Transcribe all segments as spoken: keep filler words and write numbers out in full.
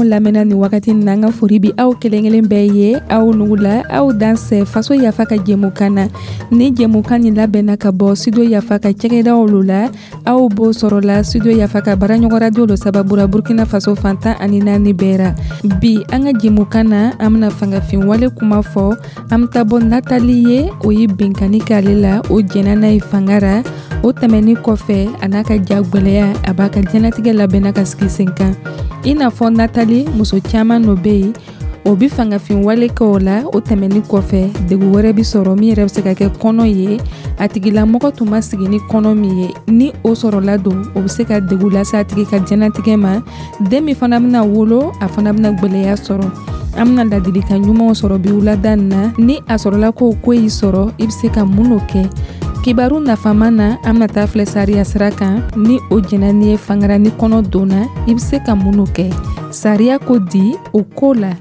Lamɛnna nin wagati na, an ka fori bi aw kelen kelen bɛɛ ye. Aw nugula, aw dansɛ Faso Yafa ka jɛmukan na. Ni jɛmukan nin labɛnna ka bɔ Studio Yafa ka cɛgɛdaw lo la, aw b'o sɔrɔ la Studio Yafa ka baaraɲɔgɔn radio lo sababura Burkina Faso fantan ani naani bɛɛ ra. Bi an ka jɛmukan na, an bena fangafin wale kuma fɔ. An be taa bɔ Natali ye, o ye benkani k'ale la, o jɛnna n'a ye fanga ra. O tɛmɛni kɔfɛ, a n'a ka ja gwɛlɛya, a b'a ka diɲɛnatigɛ labɛnna ka sigi sen kan. I n'a fɔ Natali, muso caaman no be yen, o bi fangafin wale kɛ o la. O tɛmɛni kɔfɛ, degu wɛrɛ bi sɔrɔ min yɛrɛ bɛ se ka kɛ kɔnɔ ye. A tigilamɔgɔ tun ma sigi ni kɔnɔ min ye, ni o sɔrɔla don, o bɛ se ka degu lase a tigi ka diɲɛnatigɛ ma. Den min fana bɛna wolo, a fana bɛna gwɛlɛya sɔrɔ. An bɛna ladilikan ɲumanw sɔrɔ bi wulada nin na. Ni a sɔrɔla ko ko y'i sɔrɔ, i bɛ se ka mun n'o kɛ? Kibaru nafama na, an bɛna taa filɛ sariya sira kan. Ni o jɛnna n'i ye fangara ni kɔnɔ donna, i bɛ se ka mun n'o kɛ? Sariya ko di o ko la?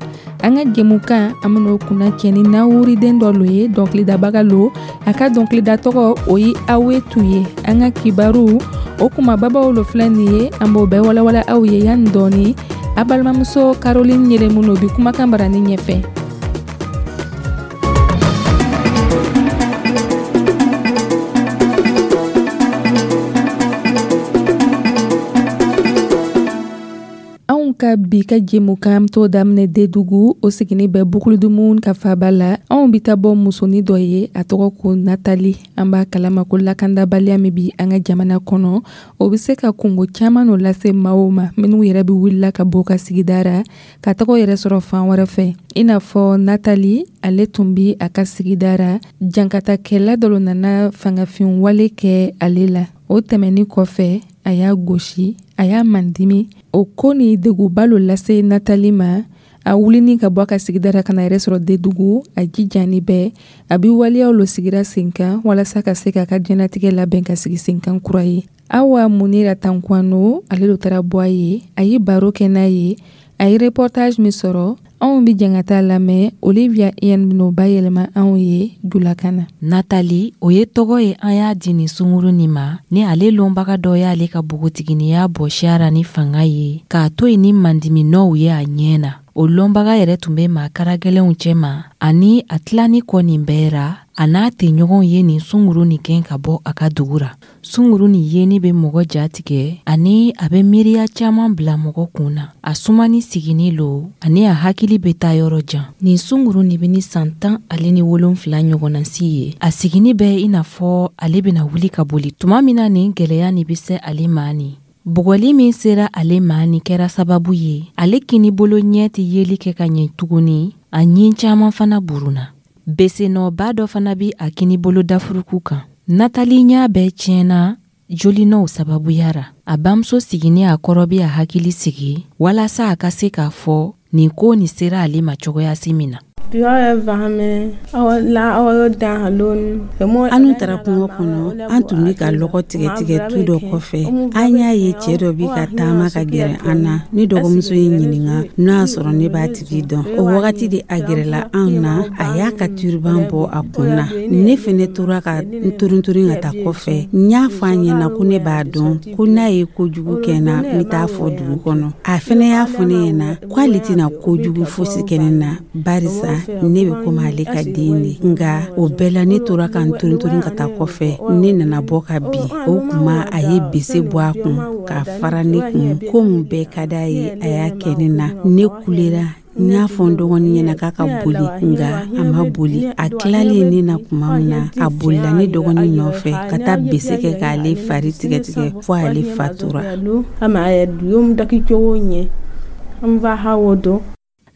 An ka jɛmukan, an ben'o kunna cɛ ni nawuriden dɔ lo ye, dɔnkilidabaga lo. A ka dɔnkilida tɔgɔ, o ye Awetu ye. An ka kibaru o kumababaw lo filɛ nin ye, an b'o bɛɛ walawala aw ye yanni dɔɔni. A balimamuso Caroline Yelemu no bi kumakan barani ɲɛfɛ. Ka bi ka jɛmukan t'o daminɛ Dedugu, o sigini bɛ Bukuludumu ka faba la. Anw bi taa bɔ musonin dɔ ye, a tɔgɔ ko Natali. An b'a kalama ko lakandabaliya min bi an ka jamana kɔnɔ, o bɛ se ka kungo caman no lase maaw ma minnu yɛrɛ bɛ wulila ka bɔ ka sigida ra ka tɔgɔ yɛrɛ sɔrɔ fan wɛrɛ fɛ. I n'a fɔ Natali, ale tun bi a ka sigida ra, jankatakɛla dɔ nana fangafin wale kɛ ale la. O tɛmɛni kɔfɛ, a y'a gosi, a y'a mandimi. O ko ni deguba lo lase Natali ma. A wulini ka bɔ a ka sigida ra ka na yɛrɛ sɔrɔ Dedugu, a jijani bɛɛ a bi waleyaw lo sigira sen kan walasa ka se k'a ka diɲɛnatigɛ labɛn ka sigi sen kan kura ye. Awa Munira Tankwano, ale lo taara bɔ a ye, a ye baro kɛ n'a ye, a ye reportage min sɔrɔ, anw bi jɛn ka taa lamɛn. Olivia Ian ben'o bayɛlɛma anw ye julakan na. Natali, o ye tɔgɔ ye an y'a di nin sunguru nin ma ni ale lɔnbaga dɔ y'ale ka bogotiginiya bɔsiya ra ni fanga ye k'a to yen ni mandiminɔw ye a ɲɛ na. O lɔnbaga yɛrɛ tun bɛ maa karagɛlɛnw cɛma, ani a tilani kɔ nin bɛɛ ra, a n'a tɛɲɔgɔnw ye nin sunguru nin gɛn ka bɔ a ka dugu ra. Sunguru nin yeni bɛ mɔgɔ jatigɛ, ani a bɛ miiriya caman bila mɔgɔ kun na. A sumani sigini lo, ani a hakili bɛ taa yɔrɔ jan. Nin sunguru nin bɛ ni san tan ale ni wolonfila ɲɔgɔnna si ye. A sigini bɛ i n'a fɔ ale bɛna wuli ka boli tuma min na nin gɛlɛya nin bɛ se ale ma nin. Bugɔli min sera ale ma nin kɛra sababu ye, ale kinibolo ɲɛ tɛ yeli kɛ ka ɲɛ tuguni, a ɲin caman fana burunna. Besenɔba dɔ fana bi a kinibolo dafuruku kan. Natali ɲa bɛɛ tiɲɛna jolinɔw sababuya ra. A bamuso sigini a kɔrɔ bi a hakili sigi walasa a ka se k'a fɔ nin ko nin sera ale ma cogoyasi min na. An taara kungo kɔnɔ, an tun bɛ ka lɔgɔ tigɛ tigɛ tu dɔ kɔfɛ. An y'a ye cɛ dɔ bɛ ka taama ka gɛrɛ an na. Ne dɔgɔmuso ye ɲininka n'o y'a sɔrɔ ne b'a tigi dɔn. O wagati de a gɛrɛla anw na, a y'a ka turiban bɔ a kun na. Ne fɛnɛ tora ka n turunturun ka taa kɔfɛ. N y'a fɔ a ɲɛna ko ne b'a dɔn, ko n'a ye kojugu kɛ n na, n bɛ taa fɔ dugu kɔnɔ. A fɛnɛ y'a fɔ ne ɲɛna k'ale tɛna kojugu fosi kɛ ne na, barisa ne bɛ komi ale ka den de. Nka o bɛɛ la, ne tora ka n turunturun ka taa kɔfɛ. Ne nana bɔ ka bin. O tuma a ye bese bɔ a kun k'a fara ne kun. Ko mun bɛɛ ka d'a ye, a y'a kɛ ne na. Ne kulera, n y'a fɔ n dɔgɔnin ɲɛna k'a ka boli, nka a ma boli. A tilalen ne na tuma min na, a bolila ne dɔgɔnin nɔfɛ ka taa bese kɛ k'ale fari tigɛtigɛ fo ale fatura.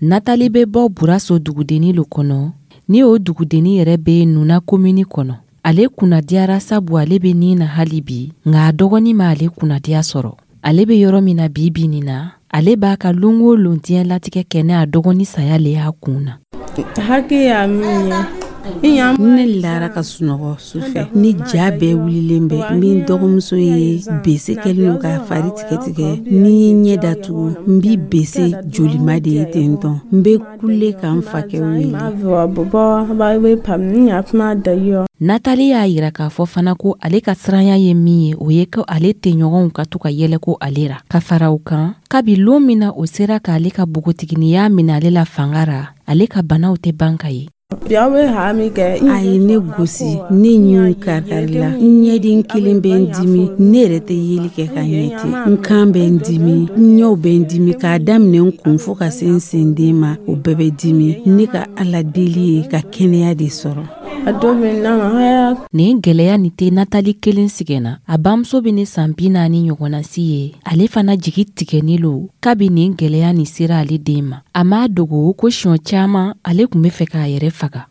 Natali bɛ bɔ Buraso dugudenni lo kɔnɔ, ni o dugudenni yɛrɛ bɛ Nuna komini kɔnɔ. Ale kunnadiyara sabu ale bɛ nin na hali bi, nka a dɔgɔnin ma ale kunnadiya sɔrɔ. Ale bɛ yɔrɔ min na bi bi nin na, ale b'a ka lon o lon diɲɛlatigɛ kɛ ne a dɔgɔnin saya le y'a kun na. Hakɛ y'a min ye, Ne lara ka sunɔgɔ su fɛ, ni ja bɛɛ wulilen bɛ. N bɛ n dɔgɔmuso ye, bese kɛlen don k'a fari tigɛtigɛ. Ni ye ɲɛ datugu, n bi bese jolima de ye ten tɔn. N bɛ kule ka n fakɛ wele. Natali y'a yira k'a fɔ fana ko ale ka siranya ye min ye, o ye ko ale tɛɲɔgɔnw ka to ka yɛlɛ ko ale ra. Ka fara o kan, kabi lon min na o sera k'ale ka bogotiginiya minɛ ale la fanga ra, ale ka banaw tɛ ban ka ye. A ye ne gosi, ne ɲinw karikarila, n ɲɛden kelen bɛ n dimi, ne yɛrɛ tɛ yeli kɛ ka ɲɛ ten, n kan bɛ n dimi, n ɲɛw bɛ n dimi, k'a daminɛ n kun fo ka se n senden ma, o bɛɛ bɛ dimi. Ne ka Ala deli ye ka kɛnɛya de sɔrɔ. Nin gwɛlɛya nin tɛ Natali kelen sigɛnna. A bamuso bɛ ne san bi naani ɲɔgɔnna si ye, ale fana jigi tigɛni lo kabi nin gwɛlɛya nin sera ale den ma. A m'a dogo ko siɲɔ caaman ale tun be fɛ k'a yɛrɛ faga.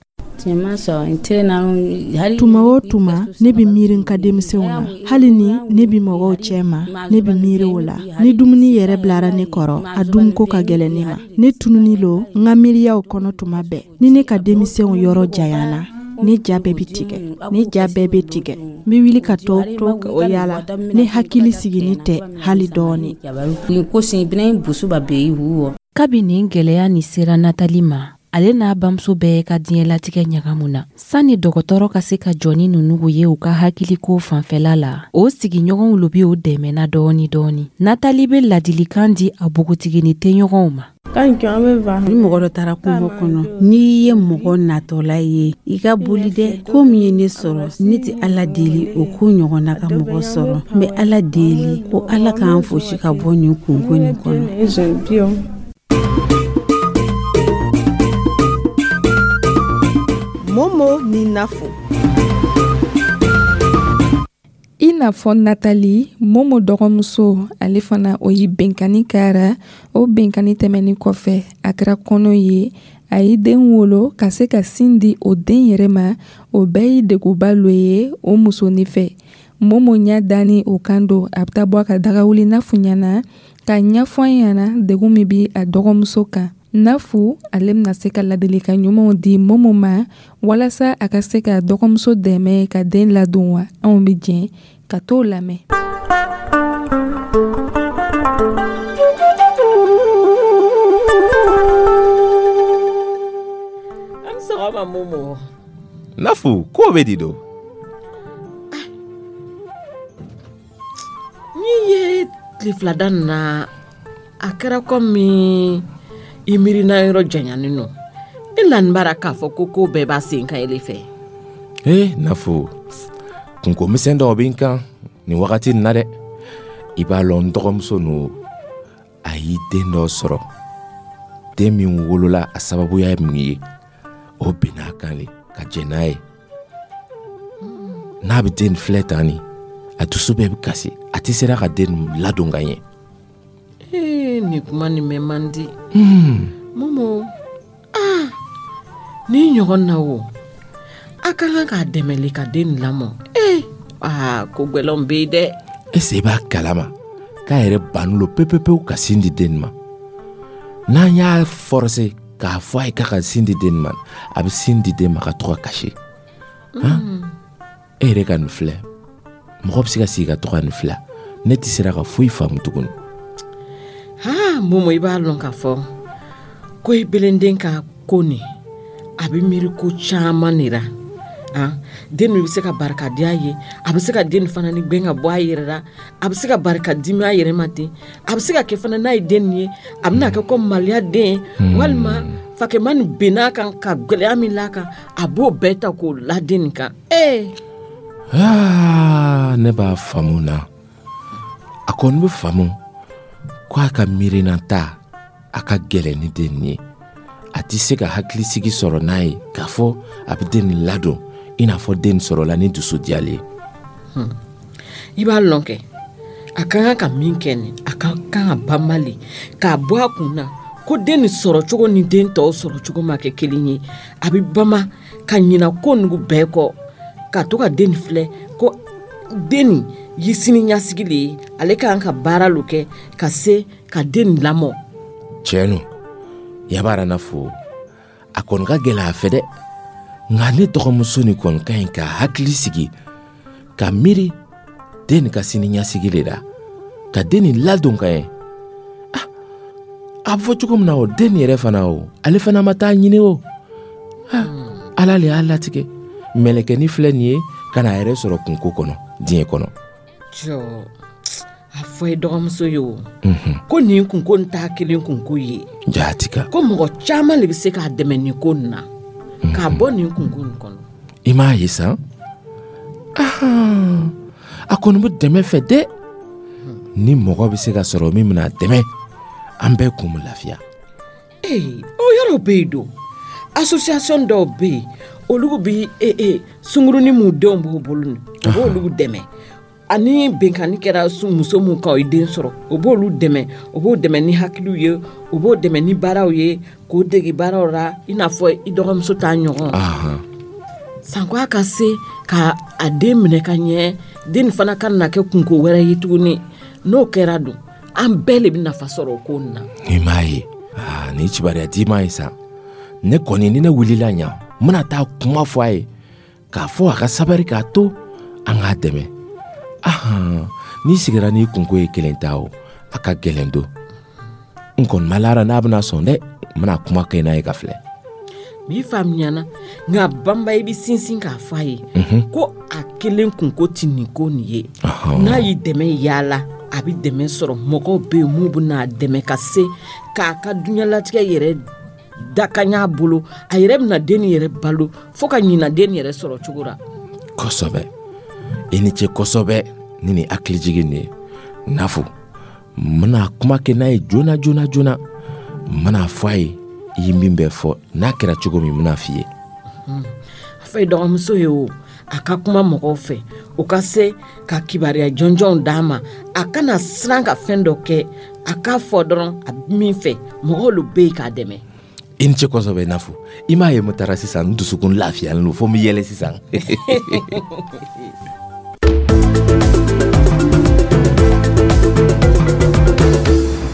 Tuma o tuma, ne bɛ miiri n ka denmisɛnw na. Hali ni ne bɛ mɔgɔw cɛ ma, ne bɛ miiri o la. Ni dumuni yɛrɛ bilara ne kɔrɔ, a dunko ka gɛlɛn ne ma. Ne tununi lo n ka miiriyaw kɔnɔ tuma bɛɛ. Ni ne ka denmisɛnw yɔrɔ janyana, ne ja bɛɛ bɛ tigɛ, ne ja bɛɛ bɛ tigɛ. N bɛ wuli ka tɔ to o yala. Ne hakili sigilen tɛ hali dɔɔni. Kabi nin gwɛlɛya nin sera Natali ma, ale n'a bamuso bɛɛ ka diɲɛlatigɛ ɲagamu na. Sanni dɔgɔtɔrɔ ka se ka jɔ ni ninnu ye u ka hakiliko fanfɛla la, o sigiɲɔgɔnw lo bi o dɛmɛna dɔɔni dɔɔni. Natali bɛ ladilikan di a bogotigini tɛɲɔgɔnw ma. Ni mɔgɔ dɔ taara kungo kɔnɔ, n'i ye mɔgɔ natɔla ye, i ka boli dɛ. Ko min ye ne sɔrɔ, ne tɛ Ala deli o ko ɲɔgɔnna ka mɔgɔ sɔrɔ. N bɛ Ala deli ko Ala k'an fosi ka bɔ nin kunko nin kɔnɔ. Momo ni Nafo. I n'a fɔ Natali, Momo dɔgɔmuso, ale fana o ye benkani kɛra. O benkani tɛmɛnin kɔfɛ, a kɛra kɔnɔ ye. A ye den wolo ka se ka sin di o den yɛrɛ ma. O bɛɛ ye degunba lo ye o musonin fɛ. Momo ɲɛ dani o kan don, a bɛ taa bɔ a ka dagawuli Nafu ɲɛna ka ɲɛfɔ a ɲɛna degun min bi a dɔgɔmuso kan. Nafu ale bɛna se ka ladilikan ɲumanw di Momo ma walasa a ka se ka dɔgɔmuso dɛmɛ ka den ladon wa. Anw bɛ jɛn ka t'o lamɛn. An sɔgɔma Momo. Nafu, ko bɛ di do? N'i ye tile fila da nin na, a kɛra komi i miirina yɔrɔ janyanen nɔ. E lani b'a ra k'a fɔ ko ko bɛɛ b'a sen kan ele fɛ. Ee Nafu, kunko misɛn dɔw bɛ n kan nin wagati nin na dɛ. I b'a lɔn n dɔgɔmuso nu, a y'i den dɔ sɔrɔ. Den min wolola a sababuya ye mun ye, o binna a kan le ka jɛn n'a ye. N'a bɛ den filɛ tan ni, a dusu bɛɛ bɛ kasi, a tɛ sera ka den ladon ka ɲɛ. Ee, nin kuma nin mɛn man di. Momo, ah, ni ɲɔgɔn na o, a ka kan k'a dɛmɛ le ka den lamɔ. Ee, aa, ko gwɛlɛnw bɛ yen dɛ. Est-ce i b'a kalama k'a yɛrɛ bannen lo pewu-pewu ka sin di den ma? N'an y'a forcer k'a fɔ a ye k'a ka sin di den ma, a bɛ sin di den ma ka to ka kasi. Han? E yɛrɛ ka nin filɛ, mɔgɔ bɛ se ka sigi ka to ka nin filɛ, ne tɛ sera ka foyi faamu tuguni. Ha, Momo, i b'a lɔn k'a fɔ ko i belenden ka ko nin, a bɛ miiri ko caman de la. Han, den nin bɛ se ka barika di a ye, a bɛ se ka den nin fana ni gɛn ka bɔ a yɛrɛ la, a bɛ se ka barika dimi a yɛrɛ ma ten, a bɛ se ka kɛ fana n'a ye den nin ye, a bɛna kɛ ko maloya den, walima fakɛma nin benna a kan ka gɛlɛya min l'a kan, a b'o bɛɛ ta k'o la den nin kan. Ee! Aa, ne b'a faamu na. A kɔni bɛ faamu ko a ka miirina ta, a ka gɛlɛn ni den nin ye. A tɛ se ka hakilisigi sɔrɔ n'a ye k'a fɔ a bɛ den nin ladon i n'a fɔ den sɔrɔla ni dusu diyalen ye. I b'a lɔn kɛ, a ka kan ka min kɛ nin, a ka kan ka banba le k'a bɔ a kun na ko den nin sɔrɔ cogo ni den tɔw sɔrɔ cogo ma kɛ kelen ye. A bɛ bama ka ɲina ko nugu bɛɛ kɔ, ka to ka den nin filɛ ko den nin ye sini ɲɛsigi le ye, ale ka kan ka baara lo kɛ ka se ka den nin lamɔ. Tiɲɛ no, yabara Nafu, a kɔni ka gɛlɛn a fɛ dɛ. Nka ne dɔgɔmuso nin kɔni ka ɲi ka hakili sigi ka miiri den nin ka sini ɲɛsigi le la, ka den nin ladon ka ɲɛ. Ah, a bɛ fɔ cogo min na, o den nin yɛrɛ fana, o ale fana ma taa ɲini o. Ah, Ala le y'a latigɛ. Mɛlɛkɛnin filɛ nin ye ka n'a yɛrɛ sɔrɔ kunko kɔnɔ diɲɛ kɔnɔ. Jɔ, a fɔ i dɔgɔmuso ye o ko nin kunko nin t'a kelen kunko ye. Jaati ka. Ko mɔgɔ caman le bɛ se k'a dɛmɛ nin ko nin na k'a bɔ nin kunko nin kɔnɔ. I m'a ye san, ahan, a kɔni bɛ dɛmɛ fɛ dɛ. Ni mɔgɔ bɛ se ka sɔrɔ min bɛna dɛmɛ, an bɛɛ kun bɛ lafiya. Ee, o yɔrɔ bɛ yen don, association dɔw bɛ yen, olu bi e e sunkurunin mun denw b'u bolo nin, u b'olu dɛmɛ. Ani benkanni kɛra muso mun kan, o ye den sɔrɔ, o b'olu dɛmɛ, o b'o dɛmɛ ni hakiliw ye, o b'o dɛmɛ ni baaraw ye, k'o dege baaraw la, i n'a fɔ i dɔgɔmuso t'a ɲɔgɔn. Ahan sanko a ka se ka a den minɛ ka ɲɛ, den fana ka na kɛ kunko wɛrɛ ye tuguni. N'o kɛra dun, an bɛɛ le bɛ nafa sɔrɔ o ko nin na. I m'a ye, aa, nin kibaruya d'i ma ye sa. Ne kɔni, ni ne wulila ɲa, n bɛna taa kuma fɔ a ye k'a fɔ a ka sabari, k'a to an k'a dɛmɛ. Ahan, n'i sigira n'i kunko ye kelen ta, o a ka gɛlɛn don. N kɔni ma lara n'a bɛna sɔn dɛ. N bɛna kuma kɛ n'a ye ka filɛ. M'i faamuyana, nka banba, i bɛ sinsin k'a fɔ a ye ko a kelen kunko ti nin ko nin ye. N'a y'i dɛmɛ yaala, a bɛ dɛmɛ sɔrɔ. Mɔgɔw bɛ yen mun bɛ n'a dɛmɛ ka se k'a ka diɲɛlatigɛ yɛrɛ dakan bolo. A yɛrɛ bɛna den nin yɛrɛ balo fo ka ɲina den nin yɛrɛ sɔrɔ cogo la. Kosɛbɛ, i ni ce kosɛbɛ ni nin hakilijigin nin ye. Nafu, n bɛna kuma kɛ n'a ye joona joona joona. N bɛna fɔ a ye i ye min bɛɛ fɔ. N'a kɛra cogo min, n bɛna f'i ye. A fɔ i dɔgɔmuso ye o, a ka kuma mɔgɔw fɛ, o ka se ka kibaruya jɔnjɔnw d'a ma. A kana siran ka fɛn dɔ kɛ, a k'a fɔ dɔrɔn a bɛ min fɛ. Mɔgɔw lo bɛ yen k'a dɛmɛ. I ni ce kosɛbɛ, Nafu. I m'a ye, n taara sisan, n dusukun lafiyalen don fo n bɛ yɛlɛ sisan.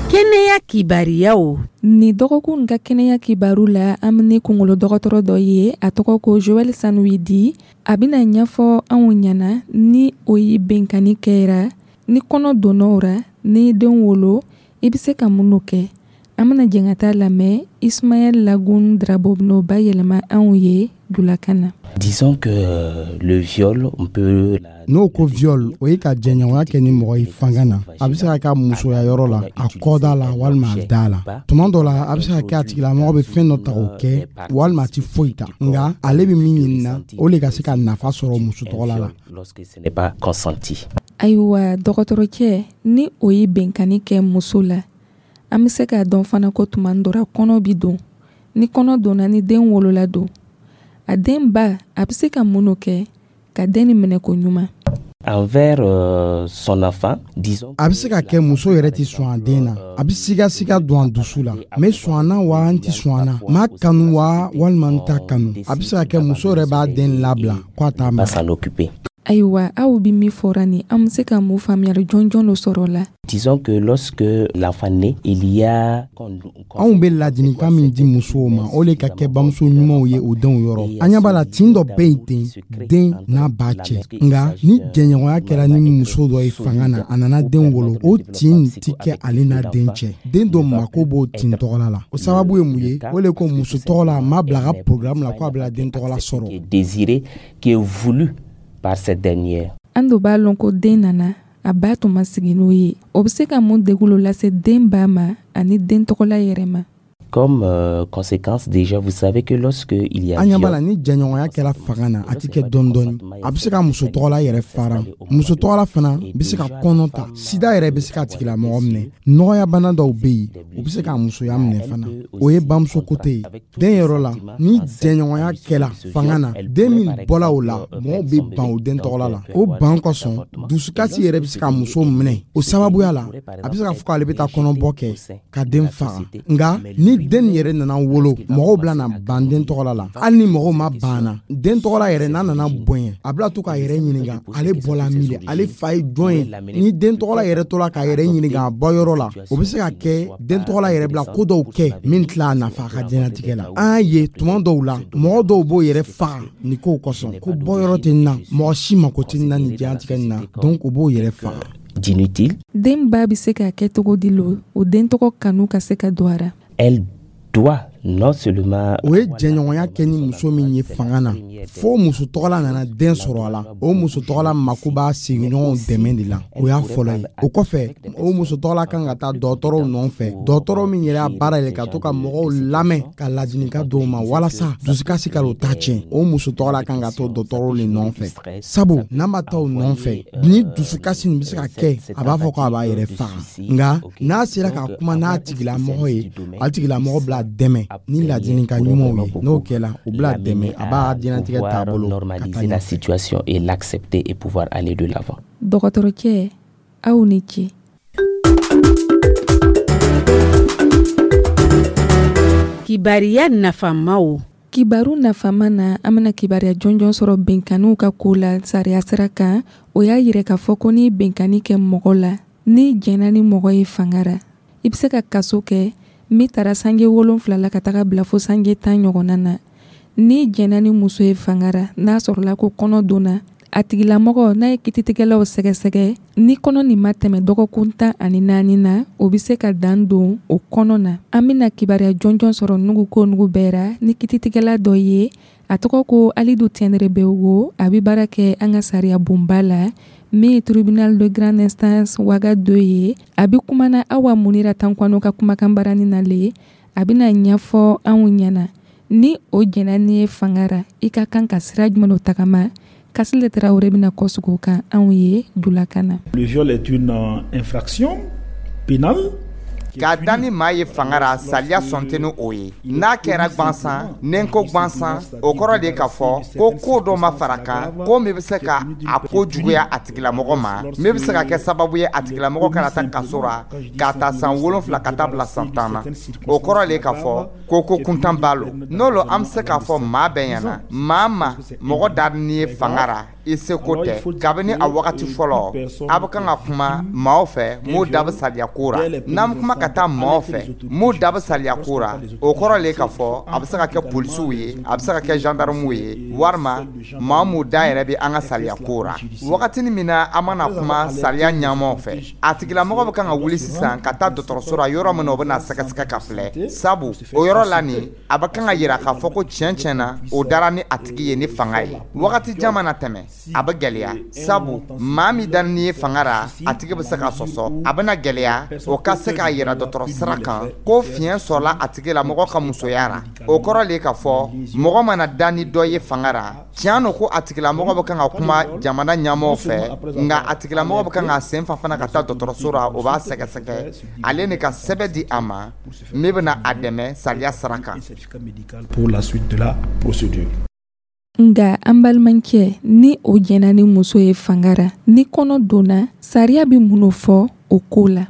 Kɛnɛya kibariyaw. Nin dɔgɔkun ka kɛnɛya kibaru la, an bɛ ni kunkolo dɔgɔtɔrɔ dɔ ye, a tɔgɔ ko Joël Sanuidi. A bɛna ɲɛfɔ anw ɲɛna ni o ye benkanni kɛra, ni kɔnɔ donna o ra, ni den wolo, i bɛ se ka mun kɛ. An bɛna jɛn ka taa lamɛn. Ismaël Lagun Drabo bɛn'o bayɛlɛma anw ye julakan na. Disons que le viol, on peut N'o ko viol, o ye ka jɛɲɔgɔnya kɛ ni mɔgɔ ye fanga na. A bɛ se ka kɛ musoya yɔrɔ la, a kɔda la walima a da la. Tuma dɔ la, a bɛ se ka kɛ a tigilamɔgɔ bɛ fɛn dɔ ta k'o kɛ, walima a ti foyi ta, nka ale bɛ min ɲini na, o le ka se ka nafa sɔrɔ muso tɔgɔla la. Lorsque ce n'est pas consenti. Ayiwa, dɔgɔtɔrɔcɛ, ni o ye benkanni kɛ muso la, an bɛ se k'a dɔn fana ko tuma dɔ la kɔnɔ bi don. Ni kɔnɔ donna, ni den wolola don, a den ba, a bɛ se ka mun kɛ ka den nin minɛ ko ɲuman? Envers euh, son enfant, disons. A bɛ se ka kɛ muso yɛrɛ tɛ sɔn a den na, a bɛ sigasiga don a dusu la: n bɛ sɔn a na wa, n tɛ sɔn a na, n b'a kanu wa, walima n t'a kanu. A bɛ se ka kɛ muso yɛrɛ b'a den labila ko a t'a Pas mara. s'en occuper. Ayiwa, aw bɛ min fɔra nin, an bɛ se ka mun faamuyali jɔnjɔn dɔ sɔrɔ o la? Disons que lorsque l'enfant naît, il y a Anw bɛ ladilikan min di musow ma, o le ka kɛ bamuso ɲumanw ye o denw yɔrɔ. An ɲɛ b'a la, tin dɔ bɛ yen ten den n'a ba cɛ, nka ni jɛɲɔgɔnya kɛra ni muso dɔ ye fanga na, a nana den wolo, o tin ti kɛ ale n'a den cɛ. Den dɔ mako b'o tin tɔgɔla la. O sababu ye mun ye? O le ko muso tɔgɔ la a ma bila a ka programme la ko a bila den tɔgɔla sɔrɔ. Qui est désiré, qui est voulu par cette dernière. An dun b'a lɔn ko den nana, a ba tun ma sigi n'o ye. O bɛ se ka mun degun lo lase den ba ma ani den tɔgɔla yɛrɛ ma? Comme euh, conséquence, déjà, vous savez que lorsque il y a An ɲɛ b'a la, viol, ni jɛɲɔgɔnya kɛra fanga na, a ti kɛ dɔɔni dɔɔni. A bɛ se ka muso tɔgɔla yɛrɛ fara. Muso tɔgɔla fana bɛ se ka kɔnɔ ta, sida yɛrɛ bɛ se ka tigilamɔgɔ minɛ, nɔgɔyabana dɔw bɛ yen, u bɛ se ka musoya minɛ fana. O ye bamuso kote ye. Den yɔrɔ la, ni jɛɲɔgɔnya kɛla fanga na, den min bɔla o la, mɔgɔw bɛ ban o den tɔgɔla la. O ban kosɔn, dusukasi yɛrɛ bɛ se ka muso minɛ. O sababuya la, a bɛ se ka fɔ k'ale bɛ taa kɔnɔbɔ kɛ ka den faga. Nka ni Den yɛrɛ nana wolo, mɔgɔw bila na ban den tɔgɔla la. Hali ni mɔgɔw ma ban na, den tɔgɔla yɛrɛ n'a nana bonya, a bila to k'a yɛrɛ ɲininka ale bɔla min de, ale fa ye jɔn ye. Ni den tɔgɔla yɛrɛ tola k'a yɛrɛ ɲininka a bɔyɔrɔ la, o bɛ se ka kɛ den tɔgɔla yɛrɛ bila ko dɔw kɛ min tila a nafa a ka diɲɛlatigɛ la. An y'a ye tuma dɔw la, mɔgɔ dɔw b'o yɛrɛ faga nin kow kosɔn, ko bɔyɔrɔ tɛ n na, mɔgɔ si mako tɛ n na nin diɲɛlatigɛ nin na, donc u b'o yɛrɛ faga. D'inutile. Den ba bɛ se ka kɛ cogo di lo o den tɔgɔ kanu ka se ka don a ra? Elle doit non seulement O ye jɛɲɔgɔnya kɛ ni muso min ye fanga na, fo muso tɔgɔla nana den sɔrɔ a la, o muso tɔgɔla mako b'a sigiɲɔgɔnw dɛmɛ de la. O y'a fɔlɔ ye. O kɔfɛ, o muso tɔgɔla kan ka taa dɔgɔtɔrɔw nɔfɛ, dɔgɔtɔrɔ min yɛrɛ y'a baara yɛrɛ ka to ka mɔgɔw lamɛn, ka ladilikan dɔw ma walasa dusukasi ka o ta tiɲɛ. O muso tɔgɔla kan ka to dɔgɔtɔrɔw de nɔfɛ, sabu n'a ma taa o nɔfɛ, ni dusukasi nin bɛ se ka kɛ a b'a fɔ ko a b'a yɛrɛ faga. Nka n'a sera ka kuma n'a tigilamɔgɔ ye, a tigilamɔgɔ bila dɛmɛ ni ladilikan ɲumanw ye, n'o kɛla, o bila dɛmɛ, a b'a diɲɛlatigɛ taabolo ka taa normaliser la ɲɛfɛ. Situation et l'accepter et pouvoir aller de l'avant. Dɔgɔtɔrɔcɛ, aw ni ce. Kibariya nafamaw. Kibaru nafama na, an bena kibaruya jɔnjɔn sɔrɔ benkanniw ka ko la sariya sira kan. O y'a yirɛ k'a fɔ ko n'i benkanni kɛ mɔgɔ la, n'i jɛnna ni mɔgɔ ye fanga ra, i be se ka kaso kɛ min tara sange wolonfila la ka taga bila fo sange tan ɲɔgɔnna na. N'i jɛnna ni muso ye fanga ra, n'a sɔrɔla ko kɔnɔ donna a tigilamɔgɔ, n'a ye kititigɛlaw sɛgɛsɛgɛ, ni kɔnɔ nin ma tɛmɛ dɔgɔkun tan ani naani na, o be se ka dan don o kɔnɔ na. An bena kibaruya jɔnjɔn sɔrɔ nugu ko nugu bɛɛ ra ni kititigɛla dɔ ye, a tɔgɔ ko Alidu Tiendrebeogo. A be baara kɛ an ka sariya bonba la min ye tribunal de grande instance Ouaga deux ye. A be kumana Awa Munira Tankwano ka kumakan barani na le. A bena ɲɛfɔ anw ɲɛna, ni o jɛnna ni ye fanga ra, i ka kan ka sira jumɛn o tagama. Kasile Tarawele bɛna kɔsigi o kan anw ye julakan na. Le viol est une euh, infraction pénale. K'a da ni maa ye fanga ra, saliya sɔn tɛ ni o ye. N'a kɛra gwansan, ni n ko gwansan, o kɔrɔ de k'a fɔ ko ko dɔ ma fara kan, ko min bɛ se ka a ko juguya a tigilamɔgɔ ma, min bɛ se ka kɛ sababu ye a tigilamɔgɔ kana taa kaso ra k'a ta san wolonfila ka taa bila san tan na. O kɔrɔ de k'a fɔ ko ko kuntan b'a lo. N'o lo, an bɛ se k'a fɔ maa bɛɛ ɲɛna, maa ma mɔgɔ da ni ye fanga ra, i seko tɛ. Kabini a wagati fɔlɔ, a bɛ kan ka kuma maaw fɛ m'u da bɛ saliya ko ra. N'an bɛ kuma ka taa maaw fɛ m'u da bɛ saliya ko ra, o kɔrɔ le k'a fɔ a bɛ se ka kɛ polisiw ye, a bɛ se ka kɛ gendarmew ye, walima maa m'u da yɛrɛ bɛ an ka saliya ko ra. Wagatinin min na an mana kuma saliya ɲɛmaw fɛ, a tigilamɔgɔ bɛ kan ka wuli sisan ka taa dɔgɔtɔrɔso la, yɔrɔ min na o bɛ na sɛgɛsɛgɛ ka filɛ, sabu o yɔrɔ la nin, a bɛ kan ka yira k'a fɔ ko tiɲɛ tiɲɛ na, o dara ni a tigi ye ni fanga ye. Wagati jan mana tɛmɛ, a bɛ gɛlɛya, sabu maa min da ni ye fanga ra, a tigi bɛ se ka sɔsɔ. A bɛna gɛlɛya o ka se k'a yira dɔgɔtɔrɔ sira kan ko fiɲɛ sɔrɔla a tigi la mɔgɔ ka musoya ra. O kɔrɔ le k'a fɔ mɔgɔ mana da ni dɔ ye fanga ra, tiɲɛ don ko a tigilamɔgɔ bɛ kan ka kuma jamana ɲɛmɔgɔw fɛ, nka a tigilamɔgɔ bɛ kan ka sen fa fana ka taa dɔgɔtɔrɔso ra, o b'a sɛgɛsɛgɛ, ale ni ka sɛbɛn di a ma min bɛna a dɛmɛ sariya sira kan. Pour la suite de la procédure. Nga an balimakɛ, ni o jɛnna ni muso ye fanga ra, ni kɔnɔ donna, sariya bɛ mun fɔ o ko la?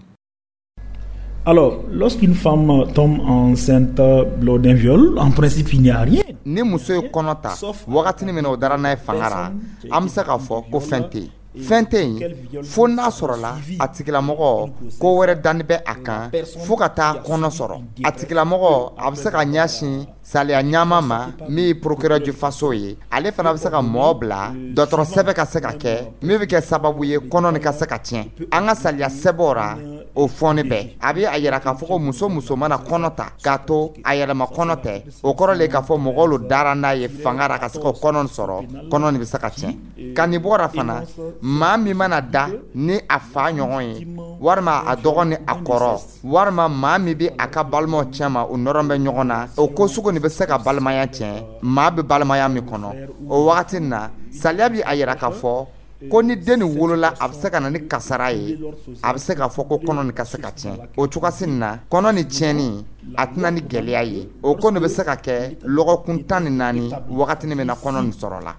Alors, lorsqu'une femme tombe enceinte lors d'un viol, en principe, il n'y a rien. Ni muso ye kɔnɔ ta wagatinin min na o dara n'a ye fanga ra, an bɛ se k'a fɔ ko fɛn tɛ yen, fɛn tɛ yen, fo n'a sɔrɔla a tigilamɔgɔ ko wɛrɛ dani bɛ a kan fo ka taa kɔnɔ sɔrɔ. A tigilamɔgɔ a bɛ se ka ɲɛsin saliya ɲama ma min ye procureur du faso ye. Ale fana bɛ se ka mɔɔ bila dɔgɔtɔrɔ sɛbɛn ka se ka kɛ min bɛ kɛ sababu ye kɔnɔ nin ka se ka tiɲɛ. An ka saliya sɛbɛnw ra, o fɔni bɛɛ a bɛ a yira k'a fɔ ko muso muso mana kɔnɔ ta k'a to a yɛlɛma kɔnɔ tɛ, o kɔrɔ le k'a fɔ mɔgɔw lo dara n'a ye fanga ra ka se k'o kɔnɔ nin sɔrɔ, kɔnɔ nin bɛ se ka tiɲɛ. Ka nin bɔra fana, maa min mana da ni a fa ɲɔgɔn ye, walima a dɔgɔ ni a kɔrɔ, walima maa min bɛ a ka balimaw cɛma, u nɔrɔ bɛ ɲɔgɔn na, o ko sugu nin bɛ se ka balimaya tiɲɛ, maa bɛ balimaya min kɔnɔ. O wagati na, saliya bɛ a yira k'a fɔ ko ni den nin wolola, a bɛ se ka na ni kasara ye, a bɛ se k'a fɔ ko kɔnɔ nin ka se ka tiɲɛ. O cogoya nin na, kɔnɔ nin tiɲɛni a tɛna ni gɛlɛya ye. O ko nin bɛ se ka kɛ lɔgɔkun tan ni naani wagatinin min na kɔnɔ nin sɔrɔla.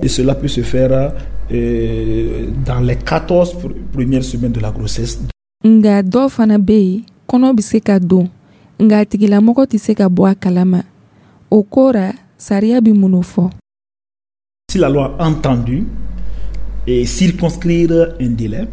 Et cela peut se faire euh, dans les quatorze premières semaines de la grossesse. Nga dɔw fana bɛ yen, kɔnɔ bɛ se ka don. Nka a tigilamɔgɔ tɛ se ka bɔ a kalama. O ko ra, sariya bɛ mun fɔ? Si la loi a entendu et circonscrire un délai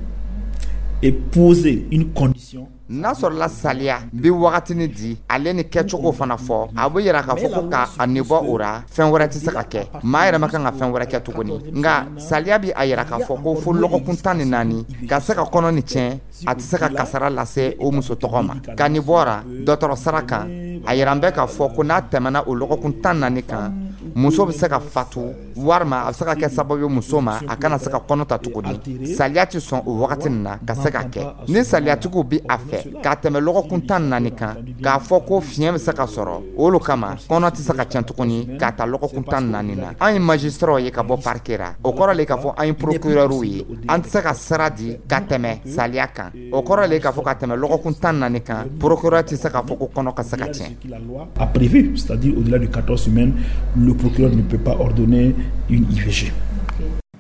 et poser une condition. N'a sɔrɔla saliya bi wagatinin di, ale ni kɛcogo fana fɔ, a bɛ yira k'a fɔ ko ka a nibɔ o ra, fɛn wɛrɛ tɛ se ka kɛ, maa yɛrɛ ma kan ka fɛn wɛrɛ kɛ tuguni. Nka saliya bi a yira k'a fɔ ko fo lɔgɔkun tan ni naani ka se ka kɔnɔ ni tiɲɛ, a tɛ se ka kasara lase o muso tɔgɔ ma. Ka nin bɔra dɔgɔtɔrɔ sara kan, a yira bɛ k'a fɔ ko n'a tɛmɛna o lɔgɔkun tan naani kan, muso bɛ se ka fatu, walima a bɛ se ka kɛ sababu ye muso ma a kana se ka kɔnɔ ta tuguni. Saliya tɛ sɔn o wagati nin na ka se ka kɛ. Ni saliyatigiw bɛ a fɛ k'a tɛmɛ lɔgɔkun tan naani kan, k'a fɔ ko fiɲɛ bɛ se ka sɔrɔ olu kama, kɔnɔ tɛ se ka tiɲɛ tuguni k'a ta lɔgɔkun tan naani na. An ye magistraw ye ka bɔ parquet ra, o kɔrɔ le k'a fɔ an ye procureurw ye, an tɛ se ka sira di ka tɛmɛ saliya kan. O kɔrɔ le k'a fɔ ka tɛmɛ lɔgɔkun tan naani kan, procureur tɛ se k'a fɔ ko kɔnɔ ka se ka tiɲɛ. A prévu, c'est-à-dire au-delà de quatorze semaines, le procureur ne peut pas ordonner une I V G.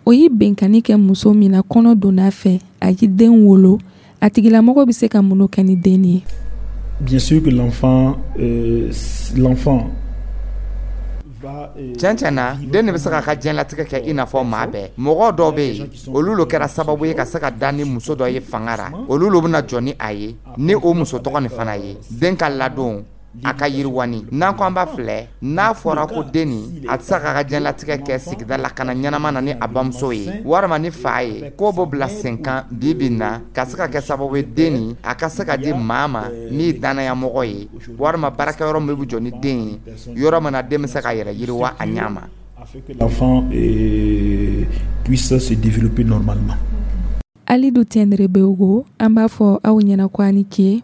O ye benkanni kɛ muso min na kɔnɔ donna fɛ, a ye den wolo, a tigilamɔgɔ bɛ se ka mun kɛ ni den ye? Bien sûr que l'enfant euh, l'enfant tiɲɛ tiɲɛ na, den de bɛ se k'a ka diɲɛlatigɛ kɛ i n'a fɔ maa bɛɛ. Mɔgɔ dɔw bɛ yen, olu lo kɛra sababu ye ka se ka da ni muso dɔ ye fanga ra, olu lo bɛna jɔ ni a ye, ni o muso tɔgɔ nin fana ye den ka ladon, a ka yiriwani. N'an ko an b'a filɛ, n'a fɔra ko den nin a tɛ se k'a ka diɲɛlatigɛ kɛ sigida la ka na ɲɛnama na ni a bamuso ye walima ni fa ye, k'o b'o bila sen kan bi bi in na ka se ka kɛ sababu ye den nin a ka se ka di maa ma min ye dannayamɔgɔ ye, walima baarakɛyɔrɔ min bɛ jɔ ni den ye, yɔrɔ min na den bɛ se k'a yɛrɛ yiriwa a ɲɛ ma. L'enfant puisse se développer normalement. Alidu Tiendrebeogo, an b'a fɔ aw ɲɛna ko a ni ce.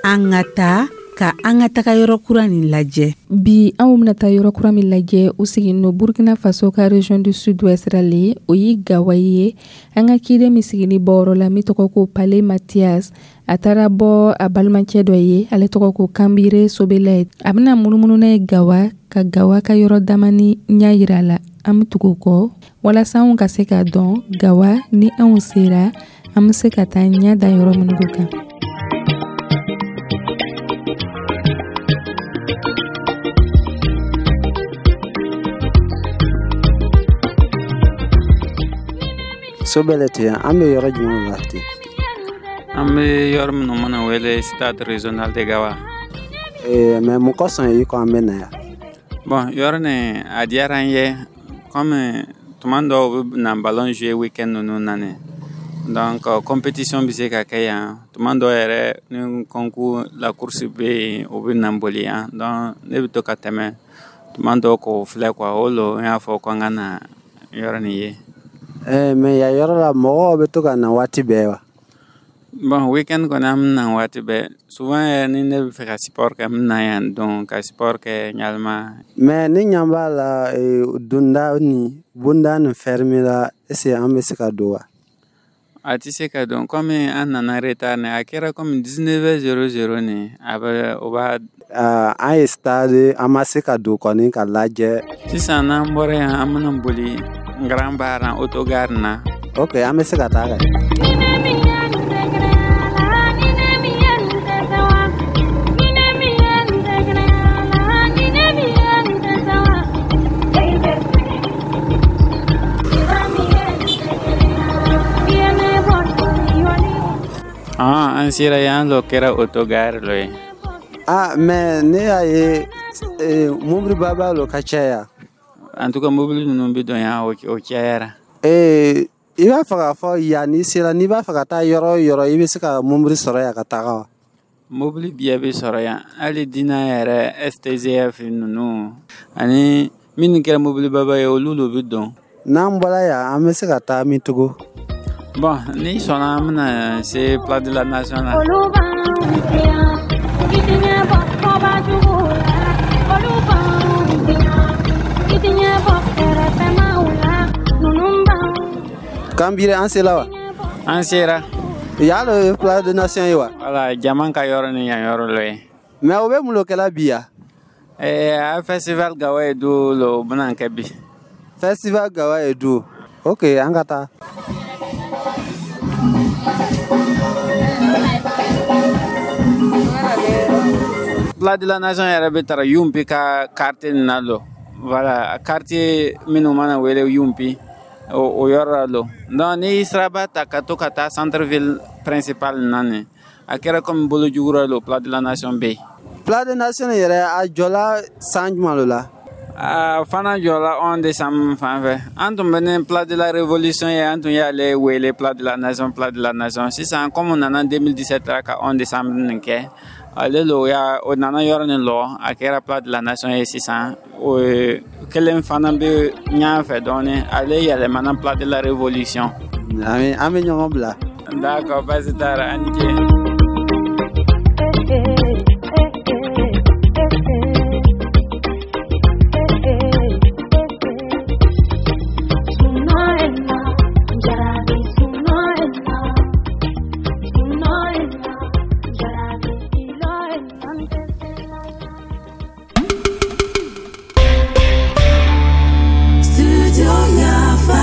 An ka taa ka an ka taga yɔrɔ kura nin lajɛ. Bi anw bɛna taa yɔrɔ kura min lajɛ, o siginin don Burkina Faso ka région du sud-ouest ra le, o ye Gawa ye. An ka ciden min sigini bɔyɔrɔ la min tɔgɔ ko Pale Mathias, a taara bɔ a balimacɛ dɔ ye, ale tɔgɔ ko Kanbire Sobelɛ. A bɛna munumunu n'a ye Gawa, ka Gawa ka yɔrɔ damani ɲɛ yira a la. An bɛ tugu o kɔ walasa anw ka se k'a dɔn Gawa ni anw sera, an bɛ se ka taa ɲɛ da yɔrɔ minnu kan. Sobɛlɛ ten, an bɛ yɔrɔ jumɛn la ten? An bɛ yɔrɔ minnu mana wele stade régional de Gawa. Eh, mais mun kosɔn i ko an bɛ na yan? Bon, yɔrɔ nin a diyara n ye, comme tuma dɔw bɛ na ballon jouer week-end ninnu na nin. Donc compétition bɛ se ka kɛ yan. Tuma dɔw yɛrɛ ni concours la course bɛ yen, o bɛ na boli yan. Donc ne bɛ to ka tɛmɛ tuma dɔw k'o filɛ quoi, o lo n y'a fɔ ko an ka na yɔrɔ nin ye. Eh, mais yan yɔrɔ la mɔgɔw bɛ to ka na waati bɛɛ wa? Bon, week-end kɔni an bɛ na waati bɛɛ. Souvent yɛrɛ ni ne bɛ fɛ ka sport kɛ, n bɛ na yan donc ka sport kɛ ɲalima. Mais ni ɲan b'a la, donda ni bonda ni fermé la, est-ce que an bɛ se ka don wa? A tɛ se ka don, comme an nana retard nin, a kɛra comme dix-neuf heures zéro zéro nin, a bɛ o b'a. An ye stade, an ma se ka don kɔni ka lajɛ. Sisan n'an bɔra yan, an bɛna boli Grand Bar na, autogare na. Ok, an bɛ se ka taa kɛ. Ah, an sera yan lo kɛra autogare lo ye. Ah, mais ne y'a ye mobili baba lo ka caya. En tout cas, mobili ninnu bɛ don yan, o cayara. Ee, i b'a fɛ k'a fɔ yan n'i sera, n'i b'a fɛ ka taa yɔrɔ o yɔrɔ, i bɛ se ka mobili sɔrɔ yan ka taga wa? Mobili bɛɛ bɛ sɔrɔ yan, hali Dina yɛrɛ, S T G F ninnu ani minnu kɛra mobili baba ye, olu lo bɛ don. N'an bɔra yan, an bɛ se ka taa min tugun? Bon, n'i sɔnna, an bɛna se Place de la Nation na. Kanbire, an sera wa? An sera. Yan lo ye Place de Nation ye wa? Wala, jama ka yɔrɔ ni yan yɔrɔ lo ye. Mais o bɛ mun lo kɛla bi yan? Eh, a festival Gawa ye du lo bɛna kɛ bi. Festival Gawa ye du. Ok, an ka taa. Place de la Nation yɛrɛ bɛ tara Yumpi ka quartier nin na lo. Voilà, quartier minnu mana wele Yumpi, o, o yɔrɔ la lo. Donc n'i siraba ta ka to ka taa centre ville principal na nin, a kɛra comme bolo jugura lo, Place de la Nation bɛ yen. Place de Nation yɛrɛ, a jɔla san jumɛn lo la? A fana jɔla onze décembre fan fɛ. An tun bɛ ni Place de la Révolution ye, an tun y'ale wele Place de la Nation, Place de la Nation. Sisan, comme nana deux mille dix-sept la ka onze décembre nin kɛ, ale lo ya o nana yɔrɔ nin lɔ, a kɛra Place de la Nation ye. Sisan o kelen fana bɛ ɲan fɛ dɔɔni, ale yɛlɛmana Place de la Révolution. An bɛ ɲɔgɔn bila. D'accord, baasi t'a la, an ni ce. Studio Yafa.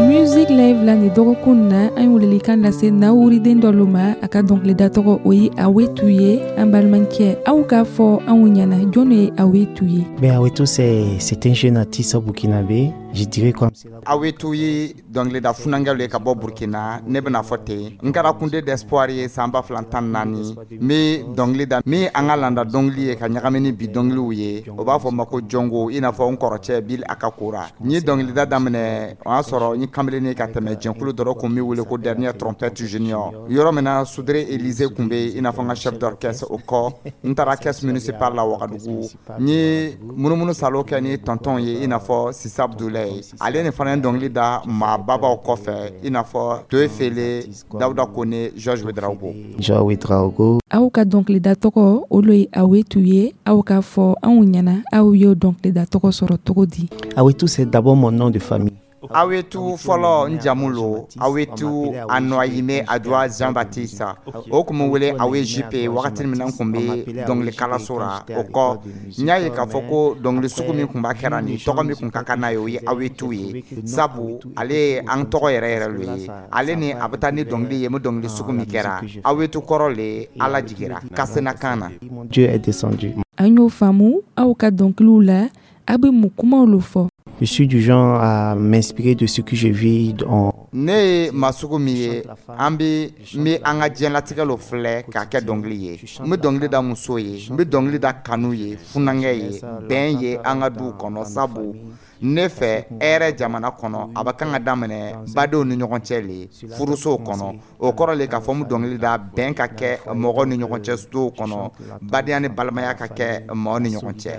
Music Live la, nin dɔgɔkun na, an ye welelikan lase nawuriden dɔ lo ma. A ka dɔnkilida tɔgɔ, o ye Awetu ye. An balimakɛ, aw k'a fɔ anw ɲɛna, jɔn ye Awetu ye? Ben, Aweto, c'est c'est un jeune artiste burkinabé. Je dirais comme c'est Awetu ye dɔnkilida funankɛw ye ka bɔ Burkina. Ne bɛna fɔ ten, n kɛra Kunde d'Espoir ye san ba fila tan naani. N bɛ dɔnkili da min an ka landa dɔnkili ye ka ɲagami ni bi dɔnkiliw ye, o b'a fɔ ma ko jɔngo, i n'a fɔ n kɔrɔcɛ Bil a ka kora. N ye dɔnkilida daminɛ, o y'a sɔrɔ n ye kamalen ka tɛmɛ jɛnkulu dɔ kun bɛ wele ko Dernière Trompette Junior, yɔrɔ min na Sudre Élysée kun bɛ, i n'a fɔ n ka chef d'orchestre. O kɔ, n taara caisse municipale la Wagadugu. N ye munumunu salo kɛ ni tonton ye, i n'a fɔ Sisa Abdoulaye. Ale ni fana ye dɔnkili da maa babaw kɔfɛ, i n'a fɔ Toye Fele, Dawuda Kone, Georges Ouedraogo. Georges Ouedraogo. Aw ka dɔnkilida tɔgɔ, olu ye Awetu ye. Aw k'a fɔ anw ɲɛna, aw y'o dɔnkilida tɔgɔ sɔrɔ cogo di? Aweto, c'est d'abord mon nom de famille. Awetu, fɔlɔ, n jamu lo Awetu Anoayime Adua Jean Baptiste. O kun bɛ wele Awe J P wagati min na n kun bɛ dɔnkili kalanso la. O kɔ, n y'a ye k'a fɔ ko dɔnkili sugu min kun b'a kɛra nin tɔgɔ min kun ka kan n'a ye, o ye Awetu ye, sabu ale ye an tɔgɔ yɛrɛ yɛrɛ lo ye. Ale ni a bɛ taa ni dɔnkili ye, n bɛ dɔnkili sugu min kɛra, Awetu kɔrɔ le Ala jigira kasena kan na. Dieu est descendu. An y'o faamu. Aw ka dɔnkiliw la, a bɛ mun kumaw lo fɔ? Je suis du genre à m'inspirer de ce que je vis en Ne ye maa sugu min ye, an bɛ n bɛ an ka diɲɛlatigɛ lo filɛ k'a kɛ dɔnkili ye. N bɛ dɔnkili da muso ye, n bɛ dɔnkili da kanu ye, funankɛ ye, bɛn ye an ka duw kɔnɔ, sabu ne fɛ, hɛrɛ jamana kɔnɔ, a bɛ kan ka daminɛ badenw ni ɲɔgɔn cɛ le, furusow kɔnɔ. O kɔrɔ le k'a fɔ n bɛ dɔnkili da bɛn ka kɛ mɔgɔw ni ɲɔgɔn cɛ sow kɔnɔ, badenya ni balimaya ka kɛ mɔgɔw ni ɲɔgɔn cɛ.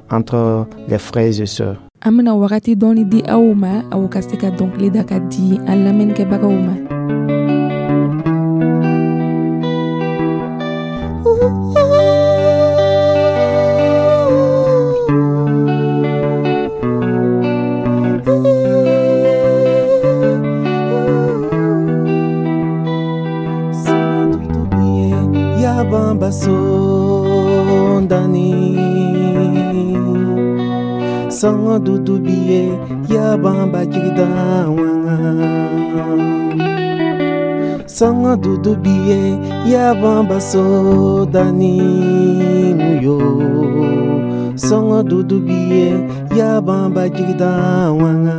Entre les frères et sœurs. An bena wagati dɔɔni di aw ma, aw ka se ka dɔnkili da ka di an lamɛnnikɛbagaw ma. Yabamba sondani sanga dudu biye yabamba jigida wanga sanga dudu biye yabamba sodani muyo sanga dudu biye yabamba jigida wanga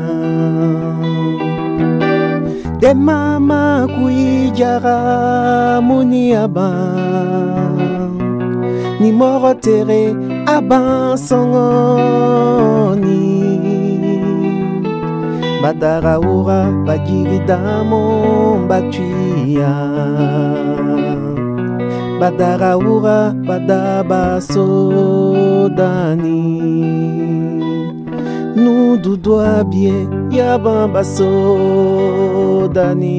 de mama kuijara muniaba ni mɔgɔ tere aban sɔngɔni badara wura bajiridamo batuya badara wura badaba sodani nududu abie yabamba sodani.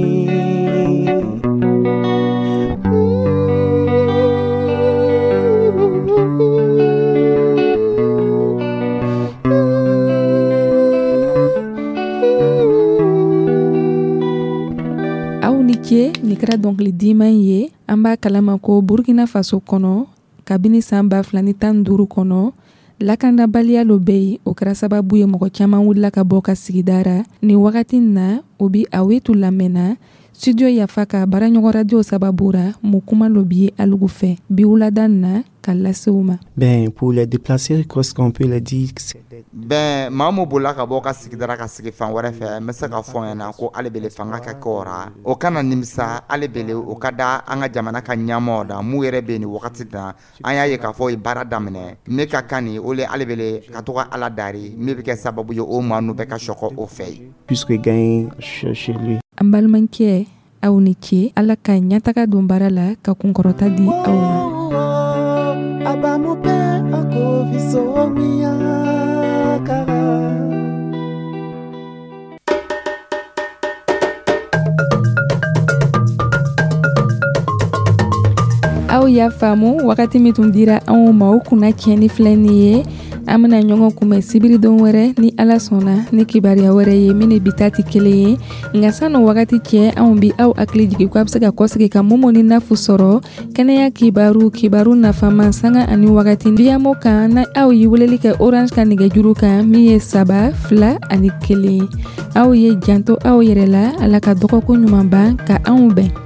Aw ni ce. Nin kɛra dɔnkili diman ye. An b'a kalama ko Burkina Faso kɔnɔ, kabini saan ba fila ni tan duuru kɔnɔ, Lakanabaliya lo bɛ yen, o kɛra sababu ye mɔgɔ caman wulila ka bɔ ka sigida ra. Nin wagati na, o bi Awetu lamɛnna Studio Yafa ka baaraɲɔgɔn radio sababu ra. Mun kuma lo bi ye alugu fɛ bi wulada na ka lase u ma? Ben, pour les déplacés, qu'est-ce qu'on peut leur dire? Bɛn maa mun bolila ka bɔ ka sigidara ka sigi fan wɛrɛ fɛ, n bɛ se ka fɔ ɲɛna ko ale bele fanga ka kɛ o ra, o kana nimisa. Ale bele o ka da an ka jamana ka ɲɛmɔgɔ da mun yɛrɛ bɛ yen nin wagati na. An y'a ye k'a fɔ o ye baara daminɛ min ka kan nin o le ale bele ka to ka Ala dari min bɛ kɛ sababu ye o maa ninnu bɛɛ ka sɔkɔ o fɛ yen. Puisque gagner chez lui. An balimakɛ, aw ni ce. Ala ka ɲɛtaga don baara la ka kunkɔrɔta di aw ma. Abamupe akovisomia kara. Aw y'a faamu, wagati min tun dira anw ma, o kunna tiɲɛni filɛ nin ye. An bɛna ɲɔgɔn kunbɛn sibiridon wɛrɛ ni Ala sɔnna ni kibaruya wɛrɛ ye min ni bi ta tɛ kelen ye. Nka san'o wagati cɛ, anw bi aw hakili jigin ko a bɛ se ka kɔsegin ka Momo ni Nafu sɔrɔ kɛnɛya kibaru, kibaru nafama, sanga ani wagati Viyamo kan, na aw ye weleli kɛ Orange ka nɛgɛjuru kan min ye saba fila ani kelen. Aw ye janto aw yɛrɛ la. Ala ka dɔgɔkun ɲuman ban ka anw bɛn.